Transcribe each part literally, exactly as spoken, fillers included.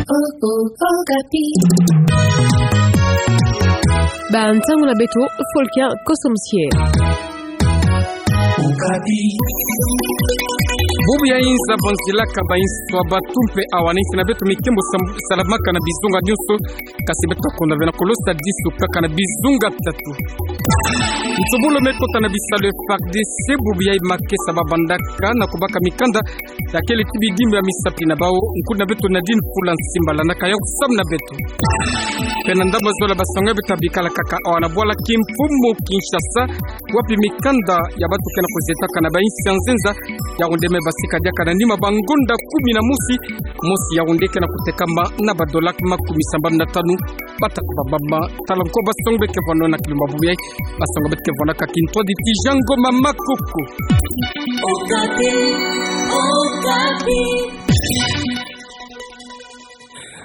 Oh, oh, Okapi. Ba ntangu na beto, Folkia Kosomsie. Okapi. Bubu ya inza banzilaka bainso ya batu mpe awa na insi na beto, mikembo sam-, salamaka na bizunga nyonso, kasi beto kondwa ve na kolosa disu kaka na bizunga tatu. Nsubulu me kota na bisalu ya F A R D C, bubu ya makesa babandaka na kubaka mikanda ya kele ti bidimbu ya misapi na bau, nkutu na beto Nadine Fula Nsimbala na kaya kusamu na beto. Mpe na ndambu ya zola, basango ya beto bikala kaka awa na bwala kimfumu Kinshasa, wapi mikanda ya batu ke na kuzetakana na bainsi ya nzenza, ya nde me basika diaka na nima bangonda kumi na mosi, mosi ya nde ke na kutekama na badola makumi sambanu na tanu. Bata kubabama, tala nko basango be ke vwano na kilumbu bubu yai. Basango be ke vwano kaka kintwadi ti Jean Ngoma Makoko. Okapi, Okapi.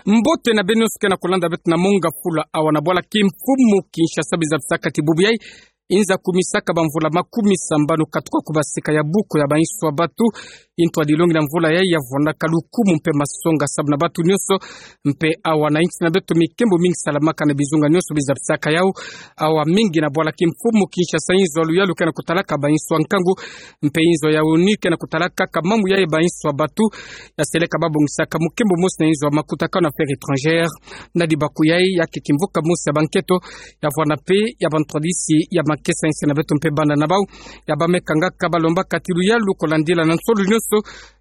Mbote na beno nyonso ke na kulanda beto na Monga Fula awa na bwala kimfumu Kinshasa, bizabisaka ti bubu yai inza kumisaka bamvula makumi sambanu katuka kubasika ya buko ya bainso ya batu. Intwadi longi na mvula yai ya vwandaka lukumu mpe masonga sababu na batu nyonso. Mpe awa na insi na beto, mikembo mingi salamaka na bizunga nyonso bizabisaka yau. Awa mingi na bwala kimfumu Kinshasa, inzo ya luyalu ke na kutalaka bainso ya nkangu, mpe inzo ya ONU ke na kutalaka kaka mambu yai bainso ya batu. Ya seleka babongisaka mukembo mosi na inzo ya makutakanu, Affaires étrangères. Na dibaku yai ya ke kimvuka mosi ya banketo ya vwanda mpe ya bantwadisi ya makesa insi na beto mpe bana na bau ya ba me kangaka, balombaka ti luyalu kulandila na nsolo nyonso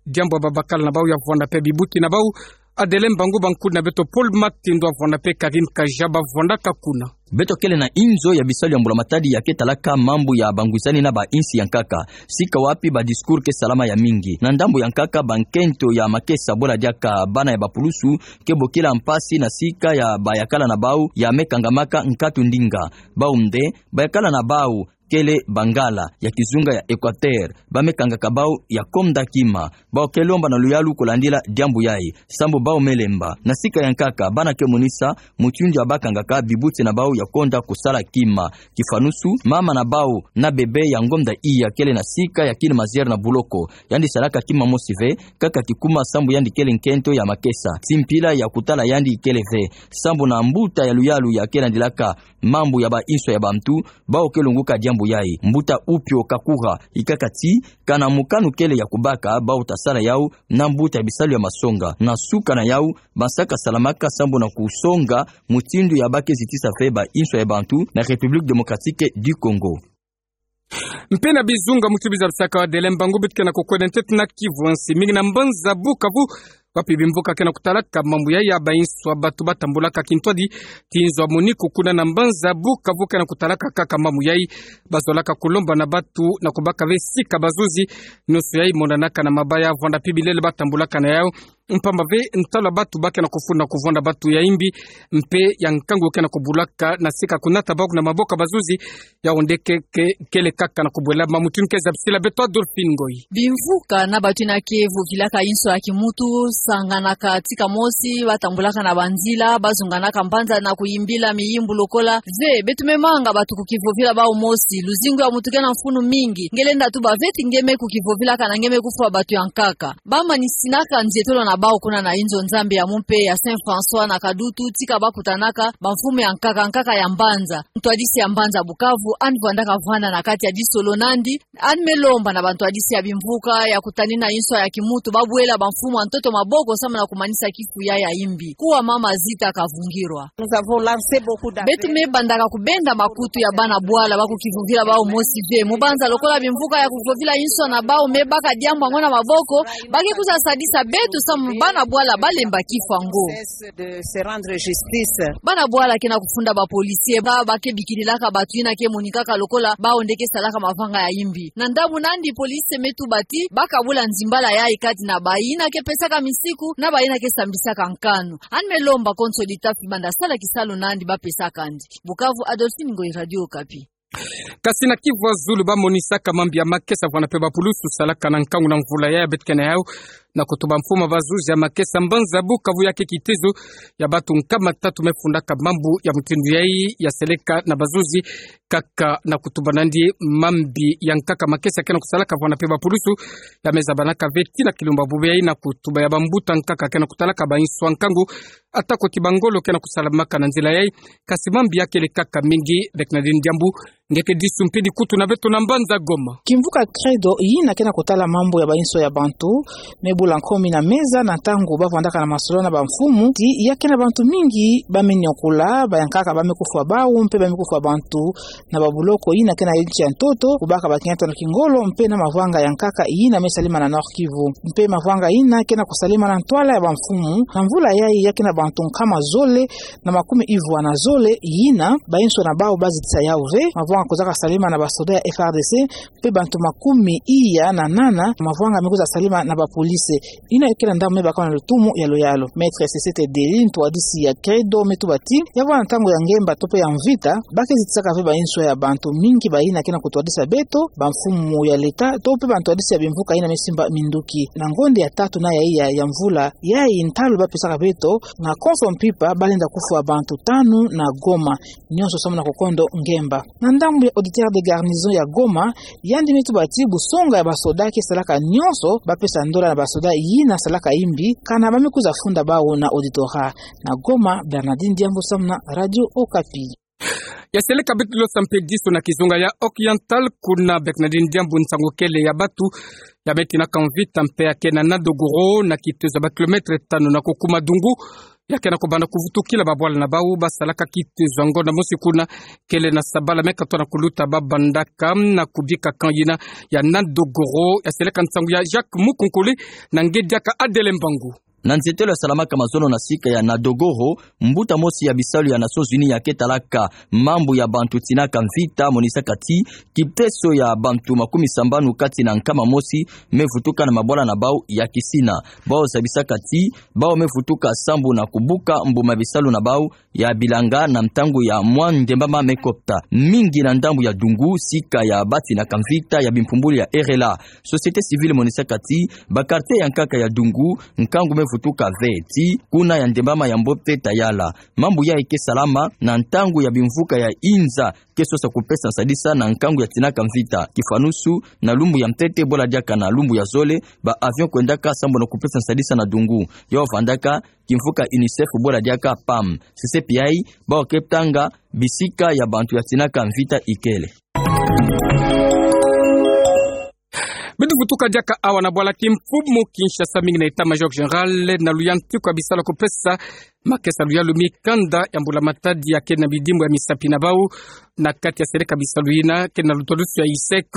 diambu ya babakala na bau ya vwanda mpe bibuti na bau. Adele Mbangu, ba nkutu na beto Paul Matindo ya vwanda mpe Karine Kaja ba vwandaka kuna. Beto kele na inzo ya bisalu ya mbula matadi ya ke talaka mambu ya bangwisani na bainsi ya nkaka, sika wapi badiscours ke salama ya mingi. Na ndambu ya nkaka, bankento ya makesa, bwela diaka bana ya bapulusu, ke bokila mpasi na sika ya bayakala na bau ya me kangamaka nkatu ndinga. Bau nde, bayakala na bau kele Bangala ya kizunga ya Equateur, ba me kangaka bau ya konda kima. Bau ke lomba na luyalu kulandila diambu yai, sambu bau me lemba. Na sika ya nkaka, bana ke monisa mutindu ya ba kangaka bibuti na bau ya konda kusala kima. Kifanusu, mama na bau na bebe ya ngonda iya kele na sika ya kini mazière na buloko. Yandi salaka kima mosi ve, kaka kikuma sambu yandi kele nkento ya makesa. Ti mpila ya kutala yandi kele ve, sambu na mbuta ya luyalu ya ke landilaka mambu ya bainso ya bantu, bau ke lunguka diambu yai. Mbuta Upio Kakura, ikaka ti, kana mokano kele ya kubaka, bau ta sala yau na mbuta ya bisalu ya masonga. Na suka na yau, ba saka salamaka sambu na kusonga mutindu ya ba ke zitisa ve bainso ya bantu na République Démocratique du Congo. Mpe na bizunga muti bizabisaka, Adele Mbangu, beto ke na kukwenda ntete na Kivu ya nsi, mingi na mbanza Bukavu, wapi bimvuka ke na kutalaka mambu yai ya bainso ya batu ba tambulaka kintwadi ti inzo ya MONUC kuna na mbanza Bukavu ke na kutalaka kaka mambu yai. Bazolaka kulomba na batu na kubaka ve sika bazuzi nyonso yai monanaka na mabaya, vwanda mpe bilele ba tambulaka na yau. Mpamba ve ntalu ya batu ba ke na kufunda kuvwanda batu ya imbi mpe ya nkangu ke na kubulaka na sika kunata bau na maboko ya bazuzi, ya nde ke, ke, kele kaka na kubwela. Mutindu ke zabisila beto Adolphine Ngoyi. Bimvuka na batu yina ke vukilaka inso ya kimuntu, sanganaka tika mosi, ba tambulaka na banzila, ba zunganaka mbanza na kuyimbila miyimbu lokola: Ve, beto me manga batu kukivovila bau mosi, luzingu ya muntu ke na mfunu mingi. Nge lenda tuba ve ti nge me kukivovilaka na nge me kufwa batu ya nkaka. Ba manisinaka nzietolo na bau kuna na inzo Nzambi ya mumpe ya Saint François na Kadutu, tika ba kutanaka bamfumu ya nkaka nkaka ya mbanza. Ntwadisi ya mbanza Bukavu, yandi vwandaka vwanda na kati ya disolo nandi, yandi me lomba na bantwadisi ya bimvuka ya kutanina inso ya kimuntu, ba bwela bamfumu ya ntoto maboko samu na kumanisa kifu yai ya imbi. Kuwa mama Zita Kavungirwa. Nous avons lancé beaucoup d'appels. Beto me bandaka kubenda makutu ya bana bwala ba kukivovila bau mosi ve. Mu banza lokola bimvuka ya kuvovila inso na bau me baka diambu yango na maboko, ba ke kwiza sadisa beto samu bana bwala ba lemba kifu yango. De se rendre justice. Bana bwala ke na kufunda ba policiers ba, ba ke bikililaka batu yina ke monikaka lokola bau nde ke salaka mavanga ya imbi. Na ndambu nandi, police me tuba ti ba kabula nzimbala yai kati na bayina ke pesaka misiku na bayina ke sambisaka nkanu. Yandi me lomba konso ditafi banda sala kisalu nandi ba pesaka yandi. Bukavu, Adolphine Ngoyi, Radio Okapi. Kasi na Kivu ya Zulu, ba monisaka mambu ya makesa vwanda mpe bapulusu salaka na nkangu na mvula yai ya beto ke na yau. Na kutuba mfumu ya bazuzi ya makesa mbanza Bukavu ya ke kitezo ya bantu nkama tatu me fundaka mambu ya mutindu yayi ya seleka na bazuzi kaka na kutuba nandi mambi ya nkaka makesa ke na kusalaka vwanda mpe bapulusu ya me zabanaka ve ti na kilumbu bubu yayi na kutuba ya bambuta nkaka ke na kutalaka bainso ya nkangu, atako ti bangolo ke na kusalamaka na nzila yayi, kasi mambi ya kele kaka mingi. Bernardine Diambu, nge ke disu mpe dikutu na beto na mbanza Goma. Kimvuka Credo, yina ke na kutala mambu ya bainso ya bantu, me bula nkomi na meza na ntangu ba vwandaka na masolo na bamfumu, ti ya ke na bantu mingi ba me nyokula, bayankaka ba me kufwa bawu, mpe ba me kufwa bantu na babuloko yina ke na nsi ya ntoto, kubaka bakiento na kingolo, mpe na mavwanga ya nkaka yina me salima na Nord-Kivu. Mpe mavwanga yina ke na kusalima na ntwala ya bamfumu, na mvula yayi ya ke na bantu nkama zole na makumi ivwa na zole yina bainso na bawu ba zitisa yawu ve, mavwanga kuzaka salima na basoda ya F R D C, mpe bantu makumi iya na nana mavwanga me kwiza salima na bapolisi. Yina ke na ndambu me baka na lutumu ya luyalu. Maître Sesete Deli, ntwadisi ya Credo, me tuba ti, ya vwanda ntangu ya ngemba to mpe ya mvita, ba ke zitisaka ve bainso ya bantu mingi bayina ke na kutwadisa beto, bamfumu ya leta, to mpe bantwadisi ya bimvuka yina me simba minduki. Na ngonda ya tatu na ya iya ya mvula yayi, ntalu ba pesaka beto, na konso mpimpa ba lenda kufwa bantu tanu na Goma, nyonso sambu na kukondo ngemba. Na ndambu ya auditeur de garnison ya Goma, yandi me tuba ti busonga ya basoda ke salaka nyonso ba pesa ndola na basoda yina salaka yimbi, kana ba me kwiza funda bawu na auditorat. Na Goma, Bernardine Diambu samu na Radio Okapi. Ya seleka beto lo sa mpe disu na kizunga ya Oriental, kuna Bernardine Diambu, nsangu kele ya bantu ya me tinaka mvita mpe ya ke na Nadogoro, na kitezo ya ba kilomètre tanu na kukuma dungu, ya ke na kubanda kuvutukila babwala na bawu ba salaka kitezo ya ngonda mosi kuna, kele na sabala me katoa na kuluta ba bandaka na kubika camp yina ya Nadogoro. Ya seleka nsangu ya Jacques Mukunkuli na nge diaka Adele Mbangu. Na nzietelo ya salamaka mazono na sika ya Nadogoro, mbuta mosi ya bisalu ya Nations Unies ya ke talaka mambu ya bantu tinaka mvita monisaka ti kiteso ya bantu makumi sambanu kati na nkama mosi me vutuka na mabwala na bawu ya kisina. Bawu zabisaka ti bawu me vutuka sambu na kubuka mbuma bisalu na bawu ya bilanga na ntangu ya mwa ndembama me kota. Mingi na ndambu ya dungu, sika ya ba tinaka mvita ya bimpumbulu ya RLA, société civile monisaka ti ba quartier ya nkaka ya dungu, nkangu me vutuka ve ti kuna ya ndembama ya mbote ta yala. Mambu yayi ke salama na ntangu ya bimvuka ya inza ke sosa kupesa nsadisa na nkangu ya tinaka mvita. Kifanusu, na lumbu ya ntete bola diaka na lumbu ya zole, ba avion kwendaka sambu na kupesa nsadisa na dungu. Yo vandaka kimvuka UNICEF bola diaka PAM. Sese piai, bawu ke tanga bisika ya bantu ya tinaka mvita ikele. Beto vutuka diaka awa na bwala kimfumu Kinshasa, mingi na état-major général na luyantiku ya bisalu ya kupesa makesa luyalu mikanda ya mbula-matadi ya ke na bidimbu ya misapi na bawu na kati ya seleka bisalu yina ke na lutwadusu ya USEC,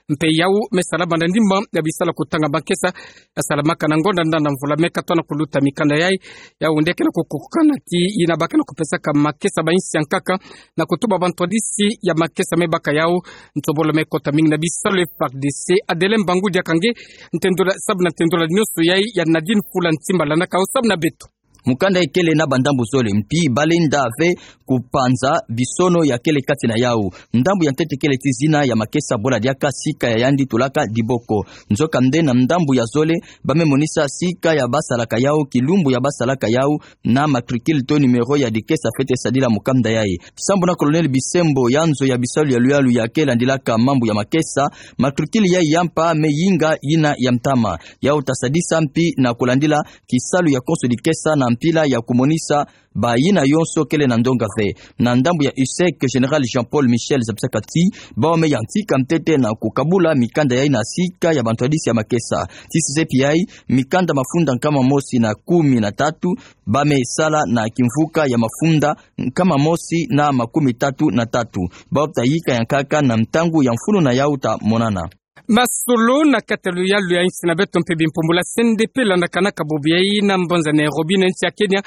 mpe yawu me salama na ndimba ya bisalu ya kutanga makesa ya salamaka na ngonda nda na mvula me katoa na kuluta. Mikanda yayi, yawu nde ke na kukukana ti yina ba ke na kupesaka makesa bainsi ya nkaka na kutuba bantwadisi ya makesa me baka yawu nsobolo me kota. Mingi na bisalu ya FARDC, Adele Mbangu diaka nge, ntendola, sabu na ntendola nyonso yayi ya Nadine Fula Ntimba landaka yo samu na beto. Mukanda ikele na bandambu zole, mpi ba lenda ve kupanza bisono ya kele kati na yawu. Ndambu ya ntete kele ti zina ya makesa bola diaka sika ya yandi tulaka diboko. Nzoka nde na ndambu ya zole, ba me monisa sika ya ba salaka yawu, kilumbu ya ba salaka yawu, na matricule to numéro ya dikesa fwete sadila mukanda yayi. Sambu na Colonel Bisembo, ya nzo ya bisalu ya luyalu ya ke landilaka mambu ya makesa, matricule yayi ya mpa me yinga yina ya ntama. Yawu ta sadisa mpi na kulandila kisalu ya konso dikesa na mpila ya kumonisa bayina yonso kele na ndonga ve. Na ndambu ya USEC, Général Jean-Paul Michel zabisaka ti bawu me yantika ntete na kukabula mikanda yayi na sika ya bantwadisi ya makesa. Ti sese piai, mikanda mafunda nkama mosi na kumi na tatu ba me sala na kimvuka ya mafunda nkama mosi na makumi tatu na tatu. Bawu ta yika ya nkaka na ntangu ya mfunu na yawu ta monana. Masolo na kati ya luyalu ya insi na beto mpe bimpumbulu ya C N D P landakanaka bobo yayi na mbanza Nairobi na insi ya Kenya,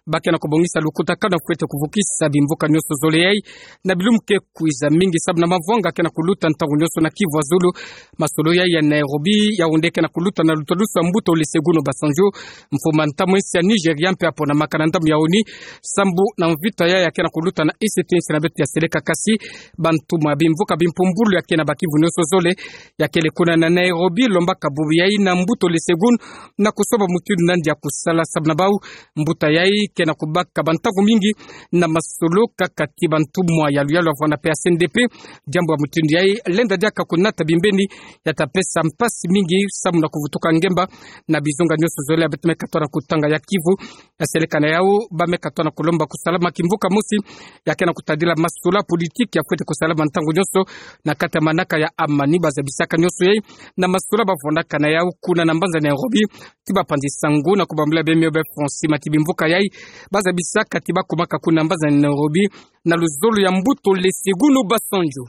ba ke na kubongisa lukutakanu fwete kuvukisa bimvuka nyonso zole yayi na bilumbu ke kwiza, mingi sabu na mavwanga ke na kuluta ntangu nyonso na Kivu ya Zulu. Masolo yayi ya Nairobi, yawu nde ke na kuluta na lutwadusu ya mbuta Olusegun Obasanjo, mfuma ntamu insi ya Nigeria, mpe aponamaka na ndambu ya ONU sambu na mvita yayi ya ke na kuluta na isiti insi na beto ya seleka. Kasi bantu ma bimvuka bimpumbulu ya ke na ba Kivu nyonso zole ya kele kuna na Nairobi, lombaka bubu yai na mbuta Olusegun, na kusoba mutindu nandi ya kusala. Sababu na bau, mbuta yai ke na kubaka bantangu mingi na masolo kaka ti bantumwa ya luyalu, avwanda pe ya C N D P. Diambu ya mutindu yai lenda diaka kunata bimbeni ya ta pesa mpasi mingi samu na kuvutuka ngemba na bizunga nyonso zole ya beto me katona kutanga ya Kivu. Ya seleka na yau, ba me katona kulomba kusalama kimvuka mosi, ya ke na kutadila masolo politiki ya fwete kusalama ntangu nyonso na kati ya manaka ya amani. Bazabisaka nyonso yai na masolo bavwandaka na yau kuna na mbanza Nairobi, ti bapanzi sangu na kubambula bemio be Francis Mati. Bimvuka yai bazabisaka ti bakumaka kuna mbanza Nairobi na luzolo ya mbuta Olusegun Obasanjo.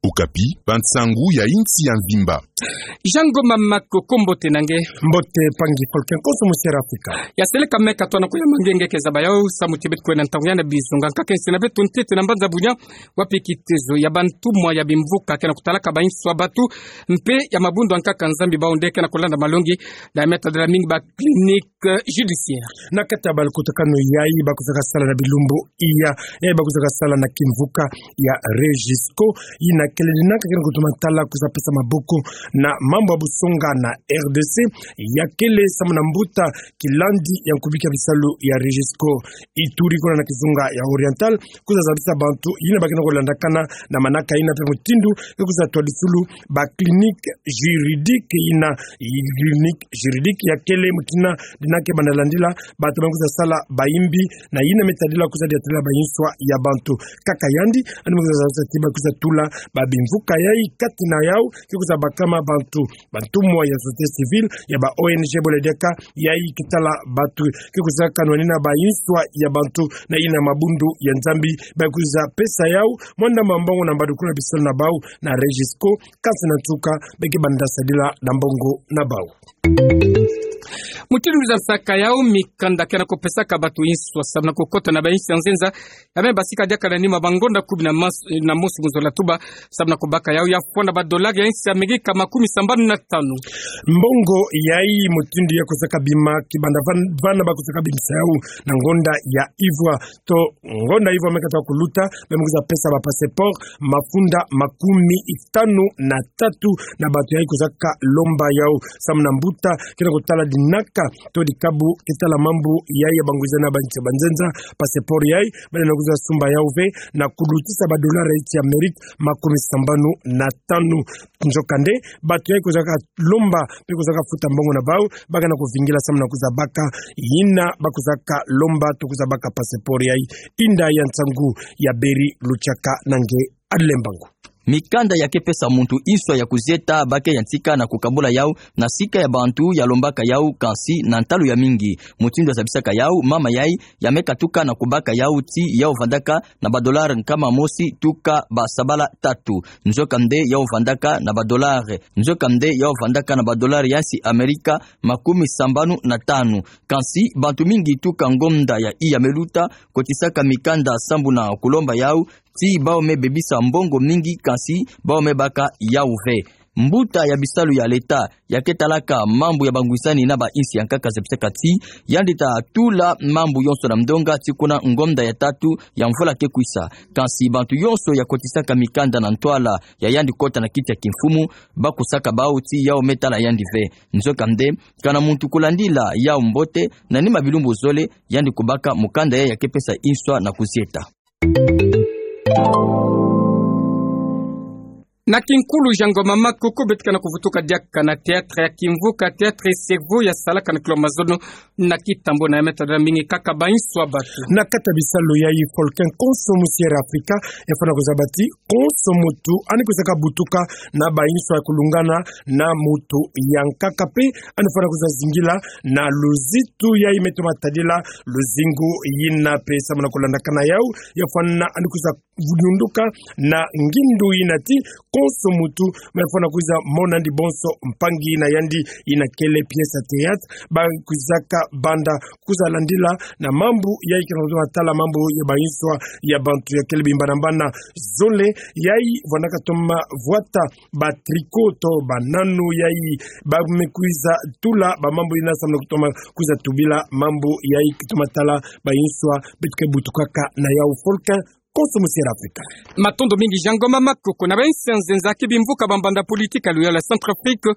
Okapi, bansangu ya insi ya mvimba. Jean Ngoma Makoko, mbote na nge. Mbote mpangi Folken, konso musi ya Afrika. Ya seleka me katona ko ya mangenge ke zaba yau, samu ti beto kwena ntangu ya na bizunga nkaka insi na beto ntete na mbanza Bunia, wapi kitezo ya bantumwa ya bimvuka ke na kutalaka ba inso ya batu, mpe ya mabundu ya nkaka Nzambi, bau nde ke na kulanda malongi na ya me tadila mingi ba clinique judiciaire. Na kati ya balukutakanu yai, ba kwizaka sala na bilumbu iya, yai ba kwizaka sala na kimvuka ya Regisco, yina kele dinaka ke na kutuma tala kwiza pesa maboko na mambu ya busonga na R D C, ya kele samu na mbuta Kilandi ya nkubiki ya bisalu ya Regisco Ituri, kuna na kizunga ya Oriental, kwiza zabisa bantu yina ba ke na kulandakana na manaka yina mpe mutindu ya kwiza twadisulu ba clinique juridique yina. Clinique juridique ya kele mutindu yina ke banda landila bantu ba kwiza sala bayimbi na yina me tadila kwiza diatila ba inso ya bantu. Kaka yandi, yandi me kwiza zabisa ti ba kwiza tula ba bimvuka yai kati na yau, ke kwiza bakama bantu, bantumwa ya société civile, ya ba O N G bole diaka, yai ke tala bantu ke kwizaka nwanina ba inso ya bantu na yina mabundu ya Nzambi, ba kwiza pesa yau mwanda mwa mbongo na mbadukulu ya bisalu na bau na Regisco, kansi na nsuka, ba ke banda sadila na mbongo na bau. Mutindu mwiza nsaka yau, mikanda ke na kupesaka bantu inso samu na kukota na ba insi ya nzenza, ya me basika diaka na nima ba ngonda kumi na mas-, na mosi mu zola tuba, samu na kubaka yau, ya fwana ba dolari ya insi ya Amerika makumi sambanu na tanu. Mbongo yai mutindu ya kwizaka bima kibanda van-, vana ba kwizaka bimisa yau na ngonda ya ivwa. To ngonda ivwa me kata kuluta, ba me kwiza pesa ba passeport mafunda makumi tanu na tatu na bantu yai kwizaka lomba yau. Samu na mbuta ke na kutala dinaka to dikabu ke tala mambu yai ya bangwiza na ba insi ya banzenza, passeport yai, bale na kwiza sumba yau ve na kulutisa ba dolari ya insi ya Amerika makumi sambanu na tanu. Nzokande, bantu yai kwizaka lomba mpe kwizaka futa mbongo na bau, ba ke na kuvingila samu na kwiza baka yina ba kwizaka lomba to kwiza baka passeport yai. Inda ya nsangu ya Beri Luchaka na nge Adlembangu. Mikanda ya ke pesa muntu inso ya kuzieta ba ke yantika na kukabula yau na sika ya bantu ya lombaka yau, kansi na ntalu ya mingi. Mutindu ya zabisaka yau, mama yai ya me katuka na kubaka yau ti yau vandaka na ba dolari nkama mosi tuka ba sabala tatu. Nzokande yau vandaka na ba dolari, nzokande yau vandaka na ba dolari ya insi Amerika makumi sambanu na tanu. Kansi bantu mingi tuka ngonda ya iya me luta kotisaka mikanda samu na kulomba yau ti bau me bebisa mbongo mingi, kansi bau me baka yau ve. Mbuta ya bisalu ya leta ya ke talaka mambu ya bangwisani na ba insi ya nkaka zabisaka ti yandi ta tula mambu yonso na mdonga ti kuna ngonda ya tatu ya mvula ke kwisa. Kansi bantu yonso ya kotisaka mikanda na ntwala ya yandi kota na kiti ya kimfumu, ba kusaka bau ti yau me tala yandi ve. Nzokande, kana muntu kulandila yau mbote, na nima bilumbu zole, yandi kubaka mukanda yai ya ke pesa inso na kuzieta. Na kinkulu, Jean Ngoma Makoko, beto ke na kuvutuka diaka na théâtre ya kimvuka, théâtre Cerveau, ya salaka na kilo mazono na Kitambo, na ya me tadila mingi kaka ba inso ya bantu. Na kati ya bisalu yai, Folken, konso musi ya Afrika ya fwana kuzaba ti konso muntu yandi kwizaka butuka na ba inso ya kulungana na muntu ya nkaka, mpe yandi fwana kwiza zingila na luzitu yai me toma tadila luzingu yina, mpe samu na kulandakana yau, ya fwana yandi kwiza vununduka na ngindu yina ti konso muntu me fwana kwiza mona yandi bonso mpangi na yandi yina kele pièce ya théâtre, ba kwizaka banda kwiza landila na mambu yai ke na kutoma tala mambu ya ba inso ya bantu ya kele bimbana mbana zole, yai vwandaka toma vwata ba tricot to ba nano yai ba me kwiza tula ba mambu yina samu na kutoma kwiza tubila mambu yai ke toma tala ba inso beto ke butukaka na yau, Folken. konso mu Sierra Afrika. Matondo mingi Jean Ngoma Makoko. Na bansi ya nzenza ki bimvuka ba mbanda politika ya luyalu ya Centrafrique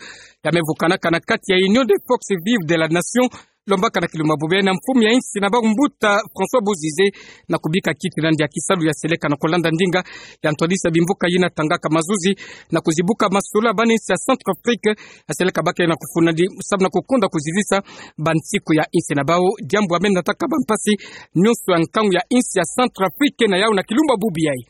ya mevukanaka na kati ya Union des Forces Vives de la Nation, lombaka na kilumbu bubu yayi na mfumu ya insi na bau mbuta François Bozizé, na kubika kiti na ndia kisalu ya seleka na kolanda ndinga ya ntwadisi ya bimvuka yina tangaka mazuzi na kuzibuka masolo ya bana insi ya Centrafrique, ya seleka baka na kufuna di samu na kukonda kuzizisa bansiku ya insi na bau, diambu ya menataka bampasi nyonso ya nkangu ya insi ya Centrafrique na yau na kilumbu bubu yayi.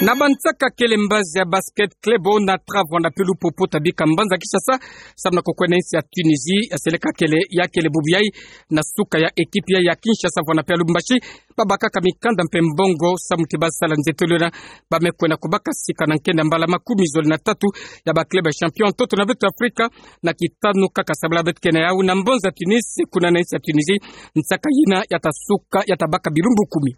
Na bansaka kele mbazi ya basket, club Onatra vwanda pelu popo tabika mbanza Kinshasa samu na kukwena insi ya Tunisie, ya seleka kele ya kele bubu yayi na suka ya ekipi ya, ya Kinshasa vwanda pe ya Lubumbashi, babakaka mikanda mpe mbongo samu ti basala nzetolo na ba mekwena kubaka sika na nkenda mbala makumi zole na tatu ya ba club ya champion ntoto na beto Afrika, na kitanu kaka sabala beto ke na yau na mbonza Tunisie, kuna na insi ya Tunisie nsaka yina ya tasuka, ya tabaka bilumbu kumi.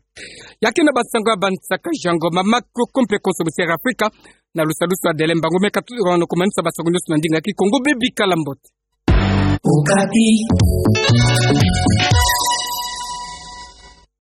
Ya ke na bansango ya bansaka Jean Ngoma Makoko mpe konso mu Sierra Afrika, na lusadusu ya Dele Mbangu meka tu, ono kumanisa bansango nyonso na ndinga ya Kikongo, bebikala mbote. Okapi.